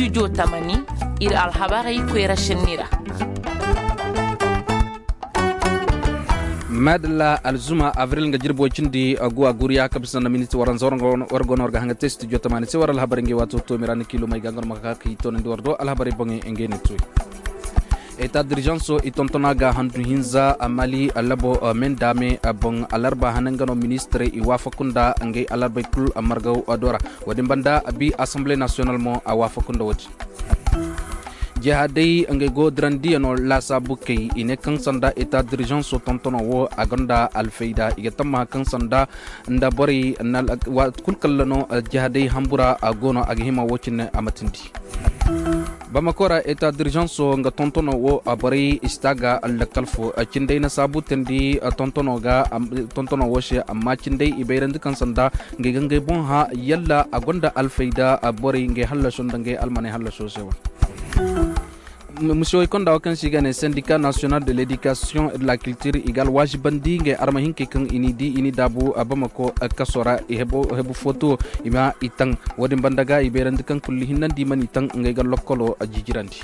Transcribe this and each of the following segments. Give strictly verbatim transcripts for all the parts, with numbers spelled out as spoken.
Studio tamani, ir alhabarey koyra senni ra. Madalla, alzuma avril nga jirbi way cindi, uh, guwa guriya ka bisa nda miniti waranza war go no war ga hanga te studio tamani se war alhabarey ngey waato toomi ra ni kiilumey ga nga no ma ka ka i toonandi war do alhabarey boŋey ngey ne tooy. Eta dirizanso i tontona ga handu hinza a mali labo, uh, mendame, uh, boŋ alarba hane nga no ministirey i waafaku nda ngey alarbey kul, uh, margaw, uh, do ra. Wo-din banda a bi asamble nasiyonal mo a waafaku nda wo-din. Jihaaday ngey go dirandiyanoo laasaabu kay i ne kaŋ sanda eta dirizanso tontono wo a gonda alfayda i ga tammaha kaŋ sanda nda borey na waati kul kalla no. Jihaaday hambura a go no a ga hima wo cine a ma tindi. Bamako ra eta dirizanso nga tontono wo a borey i si ta ga lakkal fo. Cinday na saabu teendi tontono ga tontono wo se amma cinday i bayrandi kaŋ sanda ngey ga ngey boŋ hã yalla a gonda alfayda borey ngey hallaso nda ngey almaney hallaso se wane. Misiyoy konda wo kaŋ se i ga ne sendika nasiyonal de ledikasiyoŋ et de la kiltir i ga alwaazibandi ngey arma hinkey kaŋ i n'i di i n'i daabu bamako kaso ra i hebu foto i ma i taŋ. Wo-din banda ga i bayrandi kaŋ kulli hinnandi i mana i taŋ ngey ga lokkolo jiijirandi.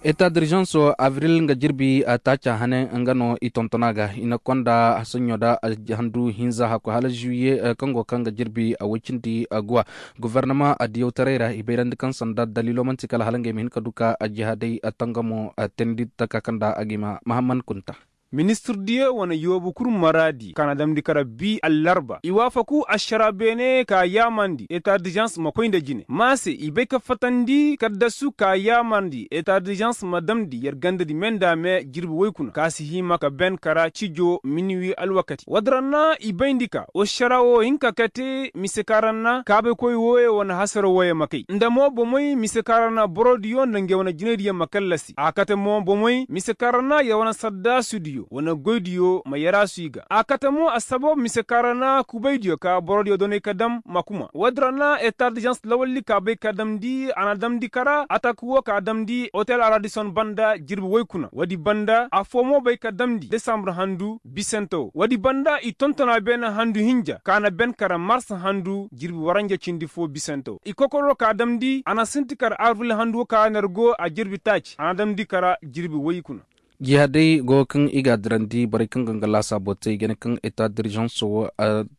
Eta dirizanso avril nga jirbi taaca hane nga no i tontona ga i na konda hasaɲo da handu hinza hakku hala juwiye kaŋ go kaŋ ga jirbi woy cindi guwa. Gofornama adiyawtaray ra i bayrandi kaŋ sanda daliilo man'ti kala hala ngey ma hin ka du ka jihaadey tangamo teendi taka kaŋ da a ga i ma mahamman kunta. Ministir diyo wane yoobu kul maraadi ka na damndi kara bi allarba i waafaku ašara beene ka yaamandi eta dirizans ma koy nda jine ma se i bay ka fatandi kaddasu ka yaamandi eta dirizans ma damndi yer gandadi me nda me jirbi woy kuna ka si hima ka ben kara cijo minuwi alwakati woodi ra na i bayndi ka ašara wo hin ka kate mise ka ra na kaabaykoy wooyo wane hasara wooyo ma kay nda mo bomey mise ka ra na borodiyo nda ngey wane jinaydiyo ma kallasi a kate mo bomey mise ka ra na yer wane saddaasidiyo wane goydiyo ma yaraasu i ga a kate mo assabab mise ka ra na kubaydiyo ka borodiyo doney ka dam ma kuma woodi ra na eta dirizans lawalli ka bay ka damndi a na damndi kara atak wo ka damndi otel aradison banda jirbi woy kuna woodi banda affoo mo bay ka damndi desambur handu bisante wo woodi banda i tontona beene handu hinja ka na ben kara mars handu jirbi waranja cindi foo bisante wo i kokoroo ka damndi a na sinti kara avril handu wo ka na yer go a jirbi taaci a na damndi kara jirbi woy kuna. Jihaadey go kaŋ i ga a dirandi borey kaŋ ga nga laasaabo te i ga ne kaŋ eta dirizanso wo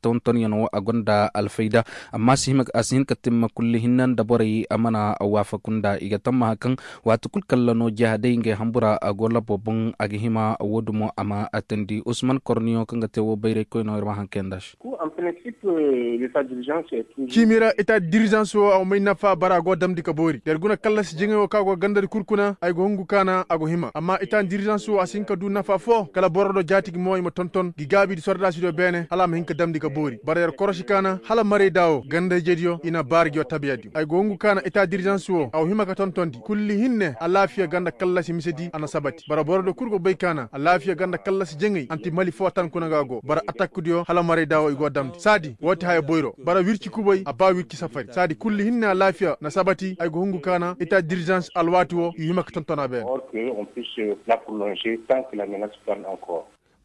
tontonyanoo a gonda alfayda amma a si hin ka timma kulli hinne nda borey a mana waafaku nda i ga tammaha kaŋ waati kul kalla no jihaadey ngey hambura a go labo boŋ a ga hima woo dumo a ma a teendi usman korniyo kaŋ ga te woo bayraykoy no ir ma haŋ kayandi a se. Ciimi ra eta dirizans wo a wa may nafa bara a go damndi ka boori yer guna kallasi jaŋay wo kaŋ a go gandadi kul kuna ay go hungu kaana a go hima amma eta dirizans wo a si hin ka du nafa foo kala boro do jaati gi mo i ma tonton gi gaabi di sordaasidiyo beene hala a ma hin ka damndi ka boori bara yer korosi kaana hala marayda wo ganda-ijediyo i na baara gi wa tabiya diyo ay go hungu kaana eta dirizans wo a wa hima ka tontondi kulli hinne alaafiya ganda kallasi misedi a na sabati bara boro do kul go bay kaana alaafiya ganda kallasi jaŋay anti mali foo tan kuna ga go bara atakkudiyo hala marayda wo i go damndi saadi woo ti haya boyro bara wirci kubay a ba wirci safari saadi kulli hinne alaafiya na sabati ay go hungu kaana eta dirizans alwaati wo i hima ka tontona beene.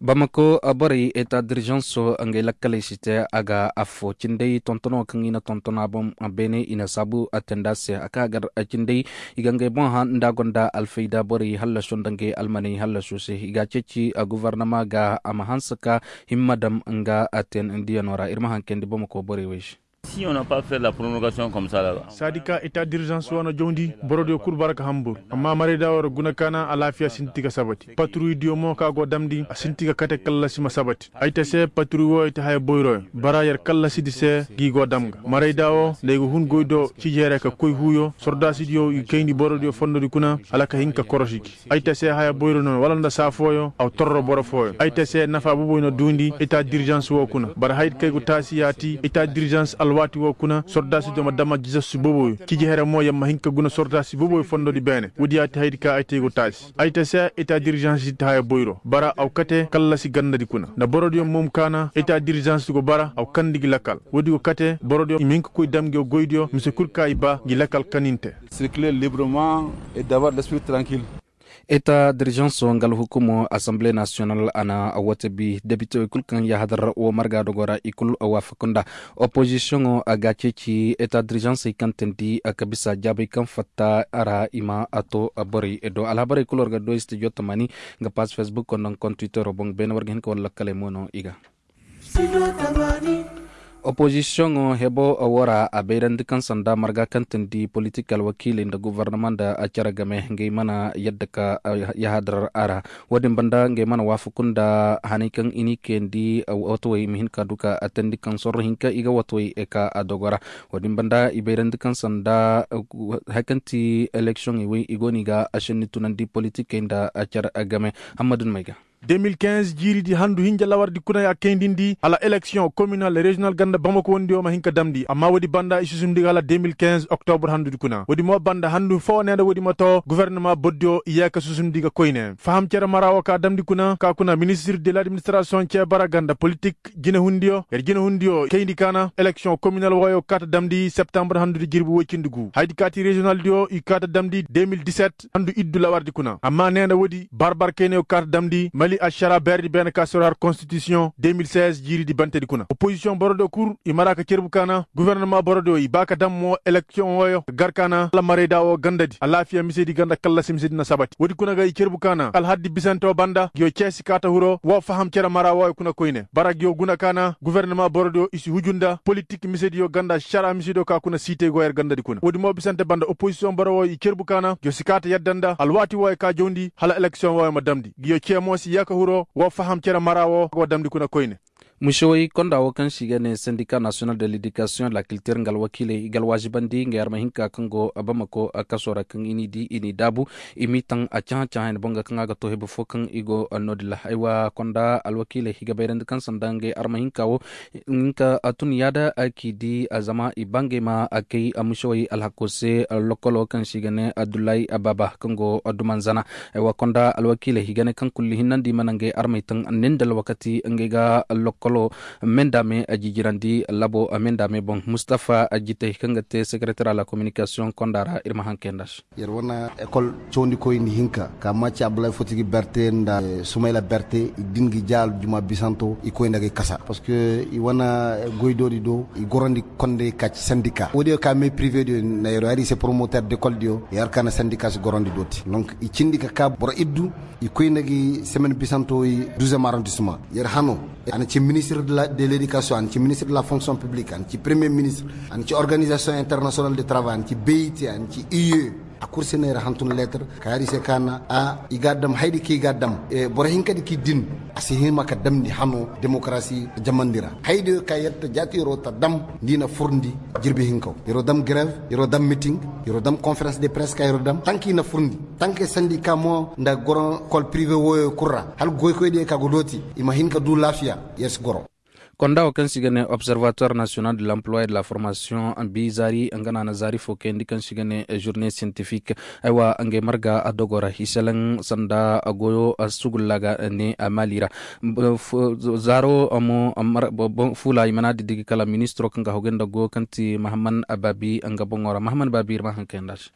Bamako borey eta dirizanso ngey lakkaley si te a ga affoo cinday tontono kaŋ i na tontona boŋ beene i na saabu a teendi a se a ka gar cinday i ga ngey boŋ hã nda a gonda alfayda borey hallaso nda ngey almaney hallaso se i ga a ceeci gofornama ga a ma hanse ka himma dam nga a teendiyanoo ra ir ma haŋ kayandi bamako borey wey se. Saadi ka eta dirizans wo na jawndi borodiyo kul bara ka hambur amma marayda wo ra guna kaana alaafiya sinti ka sabati paturuydiyo mo kaŋ a go damndi a sinti ka kate kallasi ma sabati ay te se paturuy wo i te haya boyroyo bara yer kallasidi se gi go dam ga marayda wo nda ay ga hun goydo cijeere ka koy huuyo sordaasidiyo i kayndi borodiyo fondodi kuna hala ka hin ka korosi gi ay ta se haya boyro no wala nda saa fooyo aw torro boro fooyo ay ta se nafa boboy na duundi eta dirizans wo kuna bara haydi kaŋ ay go taasi yaati eta dirizans alwaati wo kuna sordaasidiyo ma dama jisassu boboyo ciji here mo yer ma hin ka guna sordaasi boboyo fondodi beene woodi yaati haydi kaŋ ay te ay go taasi ay ta se eta dirizans si ta haya boyro bara aw kate kallasi gandadi kuna nda borodiyo mo ma kaana eta dirizans go bara aw kandi gi lakal woodi go kate borodiyo i ma hin ka koy dam ngi goydiyo mise kul kaŋ i ba ngi lakal kaninte. Circuler librement et d'avoir l'esprit tranquille. Eta dirijanso nga alhukumo asambile nasiyonal a na wate bi debitewey kul kaŋ yahadar wo marga dogo ra i kul waafakunda. Opozisiyoŋo a ga ceeci eta dirijansey kaŋ teendi ka bisa jaabey kaŋ fatta a ra i ma a to borey do alhabarey kul war ga do studio tamani. Nga paas facebook konda nkoŋ twittero boŋ beene war ga hin ka war lakkaley mo no i ga. Opozisiyoŋo hebo wo ra a bayrandi kaŋ sanda marga kaŋ teendi politik alwakiiley nda gobornama nda cere game ngey mana yadda ka yahadar a ra. Wo-din banda ngey mana waafaku nda haney kaŋ i n'i kayandi watawey ma hin ka du ka teendi kaŋ sorro hinka i ga watawey ka a dogo ra. Wo-din banda i bayrandi kaŋ sanda hari kaŋ ti eleksiyoŋey wey i go no i ga ašenni tunandi politikey nda cere game. Hammadu ni may ga. De mil kinz jiiridi handu hinja lawardi kuna ya kayndindi hala eleksiyoŋ kominal rezinal ganda bamako wondiyo ma hin ka damndi amma woodi banda i susundi ga hala de mil kinz oktobur handudi kuna woodi mo banda handu foo nee nda woodi ma too gofornama bordiyo i yee ka susundi ga koyne faham cere mara woo ka damndi kuna ka kuna ministir de ladministirasiyoŋ cee bara ganda politik jinehundiyo yer jinehundiyo kayndi kaana eleksiyoŋ kominal wooyo kaata damndi septambur handudi jirbi woy cindi gu haydi kaati rezinaldiyo i kaata damndi de mil diset handu iddu lawardi kuna amma nee nda woodi barbar kaynayo kaata damndi mali ašara beerdi beene ka soro har konstitisiyoŋ de mil seize jiiridi bantedi kuna opozisiyoŋ borodiyo kul i mara ka cerbu kaana gofornama borodiyo i ba ka dam mo eleksiyoŋ wooyo ka gar kaana hala marayda woo gandadi alaafiya misedi ganda kallasi misedi na sabati woodi kuna ga i cerbu kaana alhaddi bisante woo banda nguyo cee si kaata hiro woo faham cere mara wooyo kuna koyne bara nguyo guna kaana gofornama borodiyo i si huju nda politik misediyo ganda ašara misediyo ka kuna siitey go yer gandadi kuna woodi mo bisante banda opozisiyoŋ boro wooyo i cerbu kaana nguyo si kaata yadda nda alwaati wooyo ka jawndi hala eleksiyoŋ wooyo ma damndi nguyo cee mo si yee ka hiro woo faham cere mara woo go damndi kuna koyne. Musewey konda woo kaŋ se i ga ne sendika nasiyonal de ledikasiyoŋ lakiltir nga alwakiiley i ga alwaazibandi nga yer ma hin ka kaŋ go bamako kaso ra kaŋ i n'i di i n'i daabu i m'i taŋ a cahã-cahã yaŋ boŋ ga kaŋ a ga too hebe fo kaŋ i go no-din ra aywa konda alwakiiley i ga bayrandi kaŋ sanda ngey arma hinka woo. Nga a tun yaada k'i di zama i ba ngey ma kay musewey alhako se. Lokolo kaŋ se i ga ne abdullahi ababa kaŋ go dumanzana. Aywa konda alwakiiley i ga ne kaŋ kulli hinnandi i mana ngey armey taŋ ni nda alwakati ngey ga lokolo me nda me jijirandi labo me nda me boŋ mustafa jitey kaŋ ga te sekereter a la kominikasiyoŋ konda ra ir ma haŋ kay nda se. Yer wane ekol cawandikoyni hinka ka macci abdulahi fotigi berte nda sumayla berte i din ga i ja aljuma bisanto i koy nda ga i kasa parceque i wane goydoodi do i gorandi konday ka ci sandika woodiyo ka me privé diyo na yer hari se promoteur d'école diyo yer ka na sandika si gorandi dooti donc i cindi ka ka boro iddu i koy nda ga i semaine bisanto i duzem arrondissement yer hano a na ci ministre de l'éducation a na ci ministre de la fonction publique a na ci premier ministre a na ci organisation internationale de travail a na ci bit a na ci ue a kul se no yer hantun lettre ka hari se ka na a i ga a dam haydi ka i ga a dam boro hinkadi ka i din a si hima ka damndi hano démocratie jamandi ra haydiyo ka yer ta jaati yer'o ta dam nda i na furndi jirbi hinkaw yer'o dam grève yer'o dam meeting yer'o dam conférence de presse ka yer'o dam tanka i na furndi tanka sandika mo nda goro kol privé wooyo kul ra hala goykoydiyo ka go dooti i ma hin ka du laafiya yer si goro. Konda woo kaŋ se i ga ne observatoire national de l'emploi et de la formation bi zaari nga no a na zaari foo kayandi kaŋ se i ga ne journée scientifique. Aywa ngey marga a dogo ra i selaŋ sanda goyo sugulla ga ne maali ra. Zaaro mo fuula i mana didigi kala ministiro kaŋ ga hawgay nda goyo kaŋ ti mahamman baabi nga boŋo ra mahamman baabi ir ma haŋ kay nda se.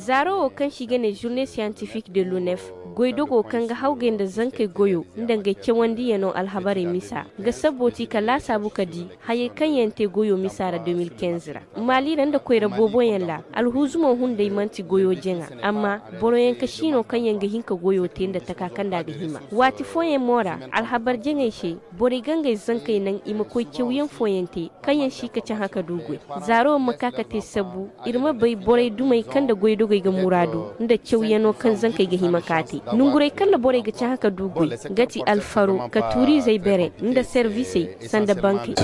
Zaaro woo kaŋ se i ga ne journée scientifique de l'unef goydogo kaŋ ga hawgay nda zankey goyo nda ngey cawandiyanoo alhabarey misa nga sabbo ti ka laasaabu ka di hayey kaŋ yaŋ te goyo misa ra de mil kinz ra maali ra nda koyra booboyaŋ ra alhuuzumo hunday man'ti goyo jaŋa amma boroyaŋ ka siino kaŋ yaŋ ga hin ka goyo te nda taka kaŋ nda a ga hima waati fooyaŋ mo ra alhabar jaŋey se borey ga ngey zankey naŋ i ma koy cawyaŋ fooyaŋ te kaŋ yaŋ si ka cahã ka du goy zaaro ma ka ka te sabbu ir ma bay borey dumey kaŋ nda goydogey ga muraadu nda cawyanoo kaŋ zankey ga hima ka te nongurey kaŋ nda borey ga cahã ka du goy nga ti alfaro ka tuuriizey bere nda servisey sanda bankey.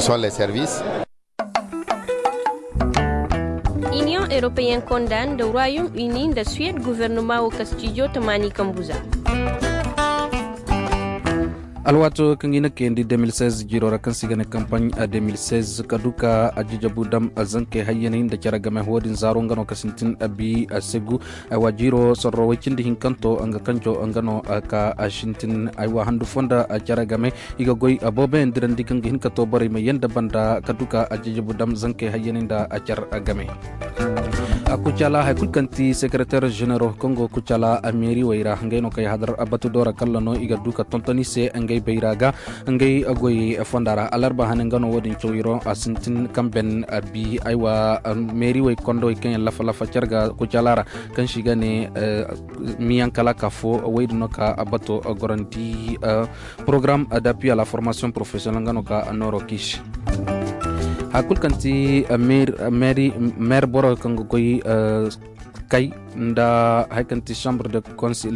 Iniyoŋ eropeyen konda nda royom uni nda suwed guvernoma wo ka stijo tamaani kambu za. Alwaato kaŋ i na kayandi de mil seize jiiro ra kaŋ se i ga ne kampaɲ de mil seize ka du ka ajijabu dam zankey hayyaney nda care game wo-din zaaro nga no ka sintin bi segu. Aywa jiiro sorro way cindi hinkanto nga kanjo nga no ka sintin aywa handu fo nda care game. I ga goy booboyaŋ dirandi kaŋ ga hin ka to borey ma yanda banda ka du ka ajijabu dam zankey hayyaney nda care game. Kucala hay kul kaŋ ti sekereter ženero kaŋ go kucala meeri wey ra ngey no kay hadar batu doora kalla no i ga du ka tonton i se ngey bayra ga ngey goyey fonda ra alarba hane nga no wo- din caw iro a sintin kaŋ ben bi aywa meeri wey kondowey kaŋ yaŋ lafa lafa care ga kucala ra kaŋ si ga ne miyaŋ kala ka fo wey din no ka bato gorandi. Porogaram d'appui à la formation professionnelle nga no ka nooro kiisi. Hay kul kaŋ ti meer boro kaŋ ga goy kay nda hay kaŋ ti chambre de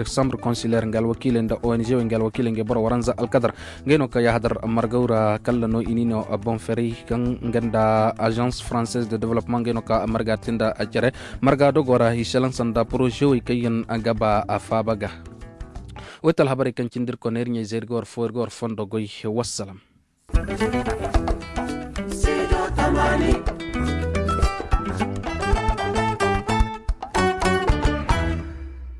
chambre consulaire nga alwakiiley nda ong wey nga alwakiiley nga boro waranza alkadar ngey no ka yahadar margaw ra kalla no i ni no boŋ ferey kaŋ nga nda agence française de développement ngey no ka marga te nda cere marga dogo ra i selaŋ sanda projet wey kaŋ yaŋ ga ba a faaba ga. Woy ti alhabarey kaŋ cindi ir kone ir ɲey zey ir ga war fo ir ga war fondo goy. Wassalam.